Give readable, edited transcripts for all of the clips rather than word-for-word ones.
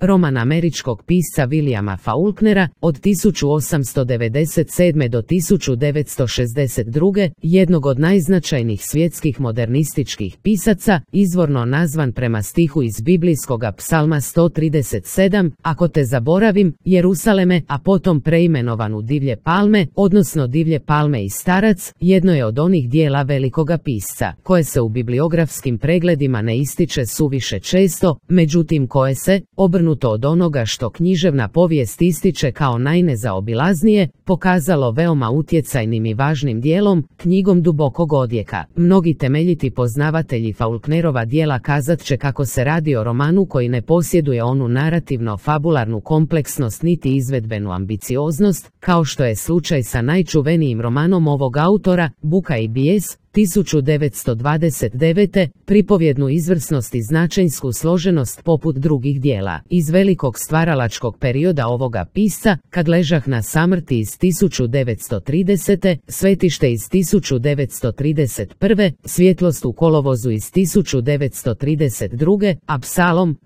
roman američkog pisca Williama Faulknera od 1897. do 1962. jednog od najznačajnijih svjetskih modernističkih pisaca, izvorno nazvan prema stihu iz biblijskoga psalma 137, ako te zaboravim, Jerusaleme, a potom preimenovan u Divlje palme, odnosno Divlje palme i starac, jedno je od onih dijela velikoga pisca, koje se u bibliografskim pregledima ne ističe suviše često, međutim koje se, obrnuto od onoga što književna povijest ističe kao najnezaobilaznije, pokazalo veoma utjecajnim i važnim dijelom, knjigom dubokog odjeka. Mnogi temeljiti poznavatelji Faulknerova dijela kazat će kako se radi o romanu koji ne posjeduje onu narativno-fabularnu kompleksnost niti izvedbenu ambicioznost, kao što je slučaj sa najčuvenijim romanom ovog autora, Buka i bijes, 1929. pripovjednu izvrsnost i značajsku složenost poput drugih dijela. Iz velikog stvaralačkog perioda ovoga pisca, Kad ležah na samrti iz 1930. Svetište iz 1931. Svjetlost u kolovozu iz 1932.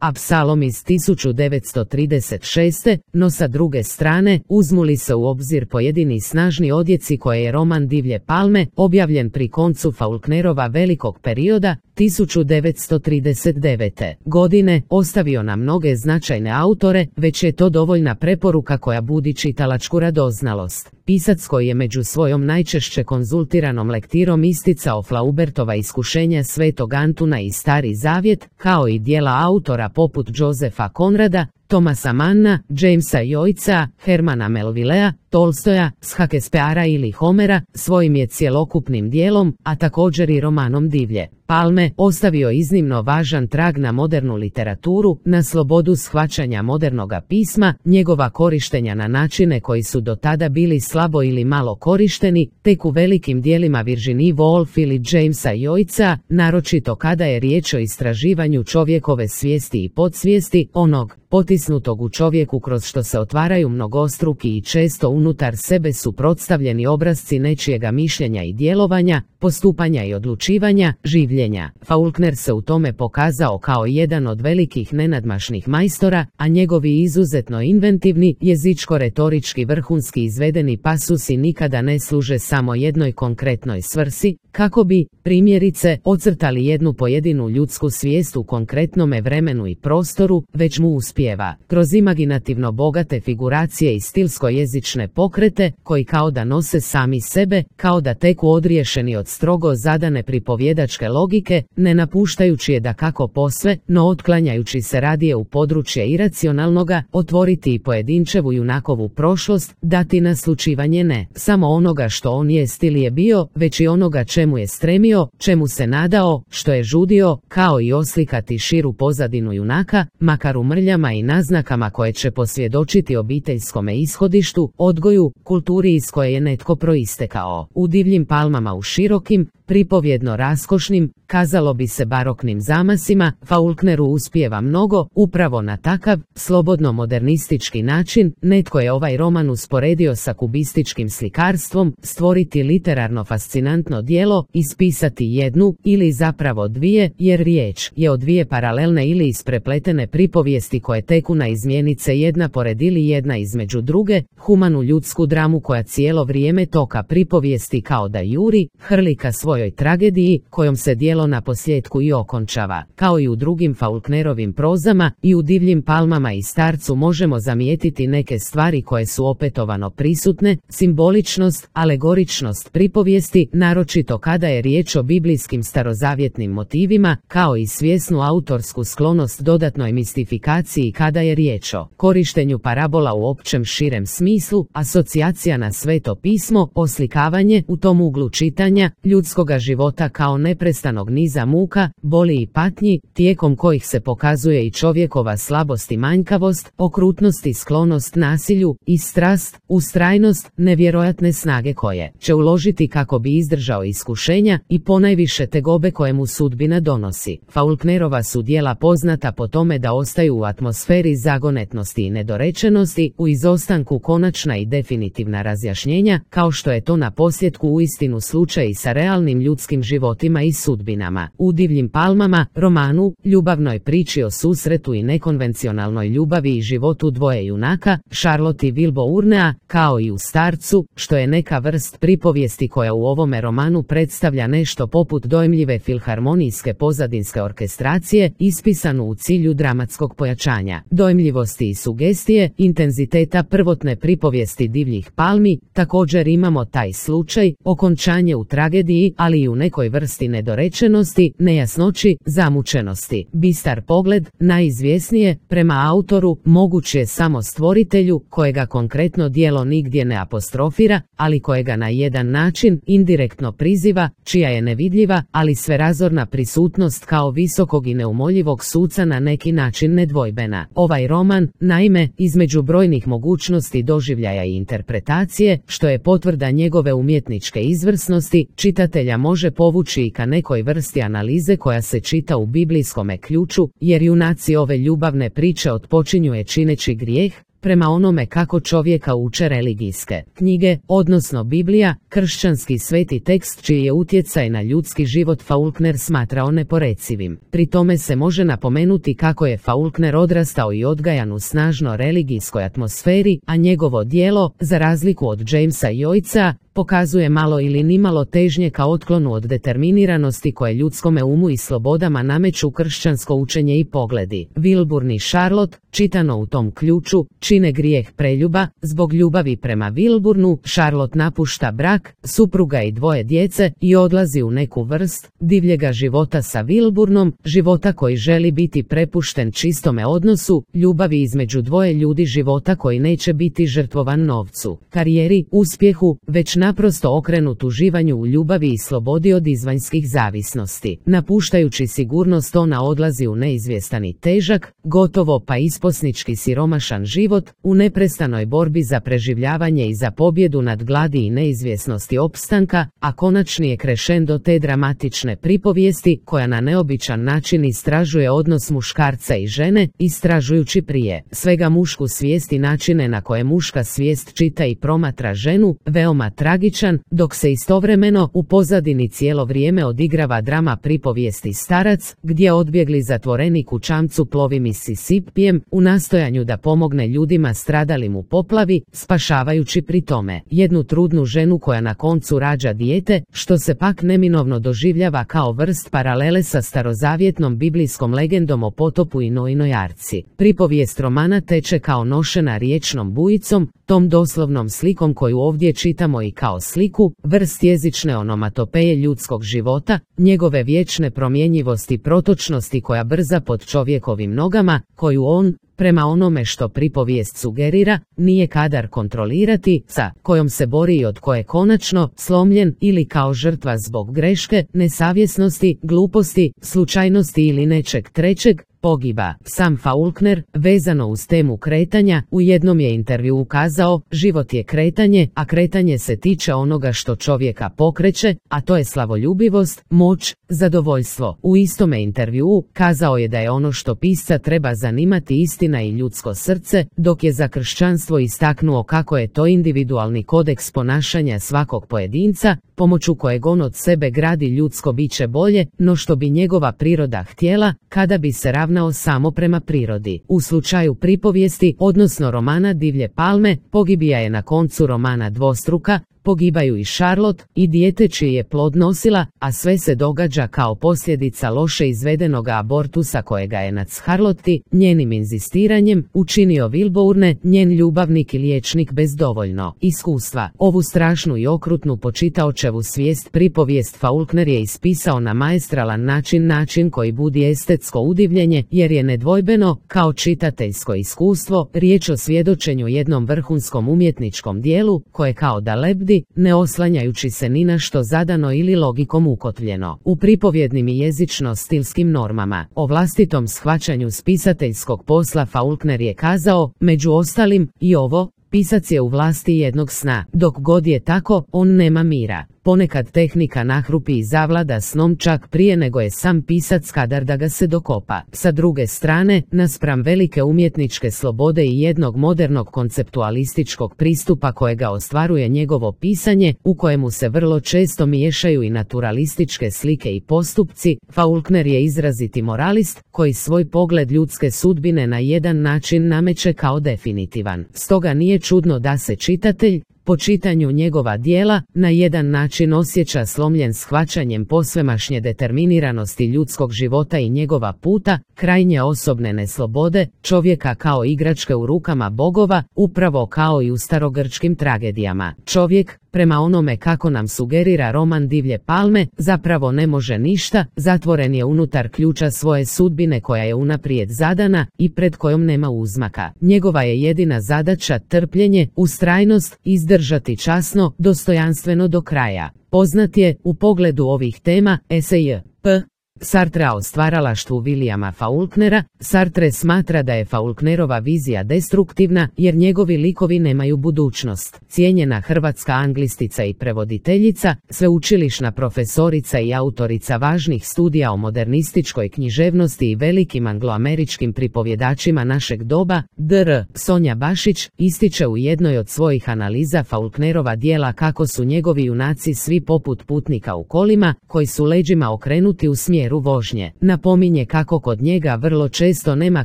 Apsalom iz 1936. No sa druge strane, uzmu li se u obzir pojedini snažni odjeci koje je roman Divlje palme, objavljen pri koncu Faulknerova velikog perioda, 1939. godine, ostavio na mnoge značajne autore, već je to dovoljna preporuka koja budi čitalačku radoznalost. Pisac koji je među svojom najčešće konzultiranom lektirom isticao Flaubertova iskušenja Svetog Antuna i Stari zavjet, kao i dijela autora poput Josefa Conrada, Thomasa Manna, Jamesa Joycea, Hermana Melvillea, Tolstoja, Shakespearea ili Homera, svojim je cjelokupnim dijelom, a također i romanom Divlje palme, ostavio iznimno važan trag na modernu literaturu, na slobodu shvaćanja modernoga pisma, njegova korištenja na načine koji su do tada bili slabo ili malo korišteni, tek u velikim dijelima Virginie Woolf ili Jamesa Joycea, naročito kada je riječ o istraživanju čovjekove svijesti i podsvijesti, onog potisnutog u čovjeku kroz što se otvaraju mnogostruki i često unutar sebe suprotstavljeni obrazci nečijega mišljenja i djelovanja, postupanja i odlučivanja, življenja. Faulkner se u tome pokazao kao jedan od velikih nenadmašnih majstora, a njegovi izuzetno inventivni, jezičko-retorički vrhunski izvedeni pasusi nikada ne služe samo jednoj konkretnoj svrsi, kako bi, primjerice, ocrtali jednu pojedinu ljudsku svijest u konkretnome vremenu i prostoru, već mu uspijeva, kroz imaginativno bogate figuracije i stilsko-jezične pokrete, koji kao da nose sami sebe, kao da teku odriješeni od strogo zadane pripovjedačke logike, ne napuštajući je dakako posve, no otklanjajući se radije u područje iracionalnoga, otvoriti i pojedinčevu junakovu prošlost, dati naslučivanje ne samo onoga što on jest ili je bio, već i onoga čemu je stremio, čemu se nadao, što je žudio, kao i oslikati širu pozadinu junaka, makar u mrljama i naznakama koje će posvjedočiti obiteljskome ishodištu, odgoju, kulturi iz koje je netko proistekao. U Divljim palmama u širokim, pripovjedno raskošnim, kazalo bi se baroknim zamasima, Faulkneru uspijeva mnogo, upravo na takav, slobodno modernistički način, netko je ovaj roman usporedio sa kubističkim slikarstvom, stvoriti literarno fascinantno djelo, ispisati jednu, ili zapravo dvije, jer riječ je o dvije paralelne ili isprepletene pripovijesti koje teku na izmjenice jedna pored ili jedna između druge, humanu ljudsku dramu koja cijelo vrijeme toka pripovijesti kao da juri, hrli ka svojoj tragediji, kojom se djelo na posljedku i okončava. Kao i u drugim Faulknerovim prozama, i u Divljim palmama i starcu možemo zamijetiti neke stvari koje su opetovano prisutne, simboličnost, alegoričnost pripovijesti, naročito kada je riječ o biblijskim starozavjetnim motivima, kao i svjesnu autorsku sklonost dodatnoj mistifikaciji kada je riječ o korištenju parabola u općem širem smislu, asocijacija na Sveto pismo, oslikavanje, u tom uglu čitanja, ljudskoga života kao neprestanog niza muka, boli i patnji, tijekom kojih se pokazuje i čovjekova slabost i manjkavost, okrutnost i sklonost nasilju, i strast, ustrajnost, nevjerojatne snage koje će uložiti kako bi izdržao iskušenja i ponajviše tegobe koje mu sudbina donosi. Faulknerova su djela poznata po tome da ostaju u atmosferi atmosferi zagonetnosti i nedorečenosti, u izostanku konačna i definitivna razjašnjenja, kao što je to na posljetku uistinu slučaj i sa realnim ljudskim životima i sudbinama. U Divljim palmama, romanu, ljubavnoj priči o susretu i nekonvencionalnoj ljubavi i životu dvoje junaka, Charlotte i Wilbournea, kao i u Starcu, što je neka vrst pripovijesti koja u ovome romanu predstavlja nešto poput dojmljive filharmonijske pozadinske orkestracije, ispisanu u cilju dramatskog pojačanja dojmljivosti i sugestije, intenziteta prvotne pripovijesti Divljih palmi. Također imamo taj slučaj, okončanje u tragediji, ali i u nekoj vrsti nedorečenosti, nejasnoći, zamučenosti. Bistar pogled, najizvjesnije, prema autoru, moguć je samo stvoritelju, kojega konkretno djelo nigdje ne apostrofira, ali kojega na jedan način indirektno priziva, čija je nevidljiva, ali sverazorna prisutnost kao visokog i neumoljivog suca na neki način nedvojbena. Ovaj roman, naime, između brojnih mogućnosti doživljaja i interpretacije, što je potvrda njegove umjetničke izvrsnosti, čitatelja može povući i ka nekoj vrsti analize koja se čita u biblijskome ključu, jer junaci ove ljubavne priče otpočinju čineći grijeh, prema onome kako čovjeka uče religijske knjige, odnosno Biblija, kršćanski sveti tekst čiji je utjecaj na ljudski život Faulkner smatrao neporecivim. Pri tome se može napomenuti kako je Faulkner odrastao i odgajan u snažno religijskoj atmosferi, a njegovo djelo, za razliku od Jamesa Joycea, pokazuje malo ili nimalo težnje ka otklonu od determiniranosti koje ljudskome umu i slobodama nameću kršćansko učenje i pogledi. Wilbourne i Charlotte, čitano u tom ključu, čine grijeh preljuba. Zbog ljubavi prema Wilbourneu, Charlotte napušta brak, supruga i dvoje djece i odlazi u neku vrst divljega života sa Wilbourneom, života koji želi biti prepušten čistome odnosu, ljubavi između dvoje ljudi, života koji neće biti žrtvovan novcu, karijeri, uspjehu, već naprosto okrenut uživanju u ljubavi i slobodi od izvanjskih zavisnosti. Napuštajući sigurnost, ona odlazi u neizvjestan i težak, gotovo pa isposnički siromašan život, u neprestanoj borbi za preživljavanje i za pobjedu nad gladi i neizvjesnosti opstanka, a konačni je krešendo te dramatične pripovijesti, koja na neobičan način istražuje odnos muškarca i žene, istražujući prije svega mušku svijest i načine na koje muška svijest čita i promatra ženu, veoma tragičan, dok se istovremeno u pozadini cijelo vrijeme odigrava drama pripovijesti Starac, gdje odbjegli zatvorenik u čamcu plovi Mississippijem u nastojanju da pomogne ljudima stradalim u poplavi, spašavajući pri tome jednu trudnu ženu koja na koncu rađa dijete, što se pak neminovno doživljava kao vrst paralele sa starozavjetnom biblijskom legendom o potopu i Noinoj arci. Pripovijest romana teče kao nošena riječnom bujicom, tom doslovnom slikom koju ovdje čitamo i kao sliku, vrst jezične onomatopeje ljudskog života, njegove vječne promjenjivosti i protočnosti koja brza pod čovjekovim nogama, koju on, prema onome što pripovijest sugerira, nije kadar kontrolirati, sa kojom se bori i od koje konačno, slomljen ili kao žrtva zbog greške, nesavjesnosti, gluposti, slučajnosti ili nečeg trećeg, pogiba. Sam Faulkner, vezano uz temu kretanja, u jednom je intervjuu kazao: život je kretanje, a kretanje se tiče onoga što čovjeka pokreće, a to je slavoljubivost, moć, zadovoljstvo. U istome intervjuu kazao je da je ono što pisca treba zanimati istina i ljudsko srce, dok je za kršćanstvo istaknuo kako je to individualni kodeks ponašanja svakog pojedinca, pomoću kojeg on od sebe gradi ljudsko biće bolje no što bi njegova priroda htjela, kada bi se ravnao samo prema prirodi. U slučaju pripovijesti, odnosno romana Divlje palme, pogibija je na koncu romana dvostruka, pogibaju i Charlotte i dijete čiji je plod nosila, a sve se događa kao posljedica loše izvedenoga abortusa kojega je nad Charlotte, njenim inzistiranjem, učinio Wilbourne, njen ljubavnik i liječnik bez dovoljno iskustva. Ovu strašnu i okrutnu po čitaočevu svijest pripovijest Faulkner je ispisao na maestralan način koji budi estetsko udivljenje, jer je nedvojbeno, kao čitateljsko iskustvo, riječ o svjedočenju jednom vrhunskom umjetničkom dijelu, koje kao da lebdi, ne oslanjajući se ni na što zadano ili logikom ukotvljeno, u pripovjednim i jezično-stilskim normama. O vlastitom shvaćanju spisateljskog posla Faulkner je kazao: među ostalim, i ovo, pisac je u vlasti jednog sna. Dok god je tako, on nema mira. Ponekad tehnika nahrupi i zavlada snom čak prije nego je sam pisac kadar da ga se dokopa. Sa druge strane, naspram velike umjetničke slobode i jednog modernog konceptualističkog pristupa kojega ostvaruje njegovo pisanje, u kojemu se vrlo često miješaju i naturalističke slike i postupci, Faulkner je izraziti moralist, koji svoj pogled ljudske sudbine na jedan način nameće kao definitivan. Stoga nije čudno da se čitatelj, po čitanju njegova djela, na jedan način osjeća slomljen shvaćanjem posvemašnje determiniranosti ljudskog života i njegova puta, krajnje osobne neslobode, čovjeka kao igračke u rukama bogova, upravo kao i u starogrčkim tragedijama. Čovjek, prema onome kako nam sugerira roman Divlje palme, zapravo ne može ništa, zatvoren je unutar ključa svoje sudbine koja je unaprijed zadana i pred kojom nema uzmaka. Njegova je jedina zadaća trpljenje, ustrajnost, izdržati časno, dostojanstveno do kraja. Poznat je, u pogledu ovih tema, esej P. Sartra o stvaralaštvu Williama Faulknera. Sartre smatra da je Faulknerova vizija destruktivna jer njegovi likovi nemaju budućnost. Cijenjena hrvatska anglistica i prevoditeljica, sveučilišna profesorica i autorica važnih studija o modernističkoj književnosti i velikim angloameričkim pripovjedačima našeg doba, dr. Sonja Bašić, ističe u jednoj od svojih analiza Faulknerova djela kako su njegovi junaci svi poput putnika u kolima, koji su leđima okrenuti u smjeru vožnje. Napominje kako kod njega vrlo često nema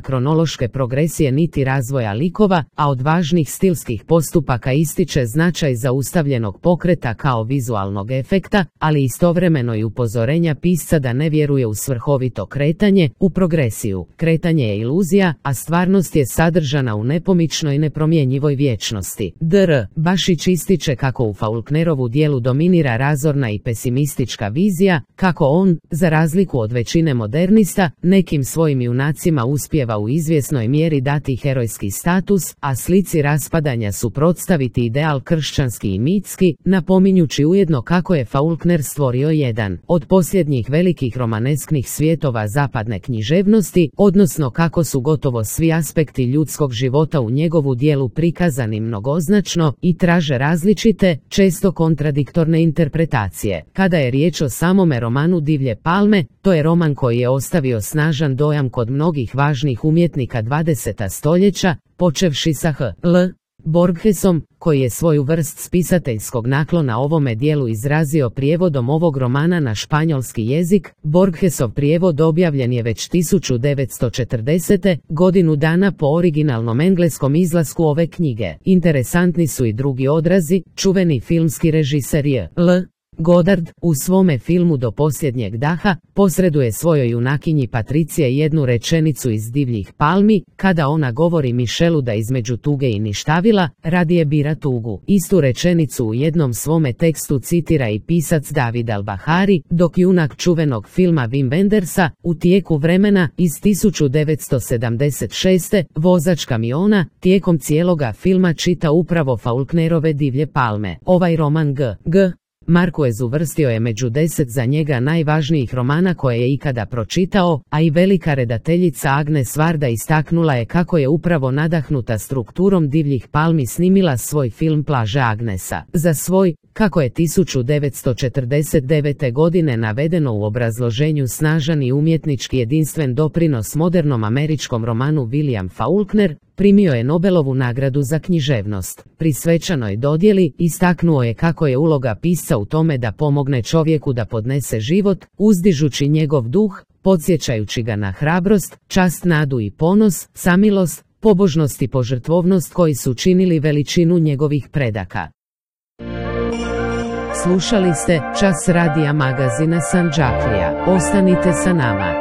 kronološke progresije niti razvoja likova, a od važnih stilskih postupaka ističe značaj zaustavljenog pokreta kao vizualnog efekta, ali istovremeno i upozorenja pisca da ne vjeruje u svrhovito kretanje, u progresiju. Kretanje je iluzija, a stvarnost je sadržana u nepomičnoj nepromjenjivoj vječnosti. Dr. Bašić ističe kako u Faulknerovu djelu dominira razorna i pesimistička vizija, kako on, za razliku od većine modernista, nekim svojim junacima uspijeva u izvjesnoj mjeri dati herojski status, a slici raspadanja suprotstaviti ideal kršćanski i mitski, napominjući ujedno kako je Faulkner stvorio jedan od posljednjih velikih romanesknih svjetova zapadne književnosti, odnosno kako su gotovo svi aspekti ljudskog života u njegovu djelu prikazani mnogoznačno i traže različite, često kontradiktorne interpretacije. Kada je riječ o samome romanu Divlje palme, to je roman koji je ostavio snažan dojam kod mnogih važnih umjetnika 20. stoljeća, počevši sa H.L. Borgesom, koji je svoju vrst spisateljskog naklona ovome dijelu izrazio prijevodom ovog romana na španjolski jezik. Borgesov prijevod objavljen je već 1940. godinu dana po originalnom engleskom izlasku ove knjige. Interesantni su i drugi odrazi. Čuveni filmski režiser J.L. Godard, u svome filmu Do posljednjeg daha, posreduje svojoj junakinji Patricije jednu rečenicu iz Divljih palmi, kada ona govori Michelu da između tuge i ništavila, radije bira tugu. Istu rečenicu u jednom svome tekstu citira i pisac David Al-Bahari, dok junak čuvenog filma Wim Wendersa, U tijeku vremena, iz 1976. vozač kamiona, tijekom cijeloga filma čita upravo Faulknerove Divlje palme. Ovaj roman G. Marquez uvrstio je među 10 za njega najvažnijih romana koje je ikada pročitao, a i velika redateljica Agnes Varda istaknula je kako je upravo nadahnuta strukturom Divljih palmi snimila svoj film Plaže Agnesa. Za svoj, kako je 1949. godine navedeno u obrazloženju, snažan i umjetnički jedinstven doprinos modernom američkom romanu William Faulkner primio je Nobelovu nagradu za književnost. Pri svečanoj dodjeli istaknuo je kako je uloga pisca u tome da pomogne čovjeku da podnese život, uzdižući njegov duh, podsjećajući ga na hrabrost, čast, nadu i ponos, samilost, pobožnost i požrtvovnost koji su činili veličinu njegovih predaka. Slušali ste Čas radija magazina Sandžaklija. Ostanite sa nama.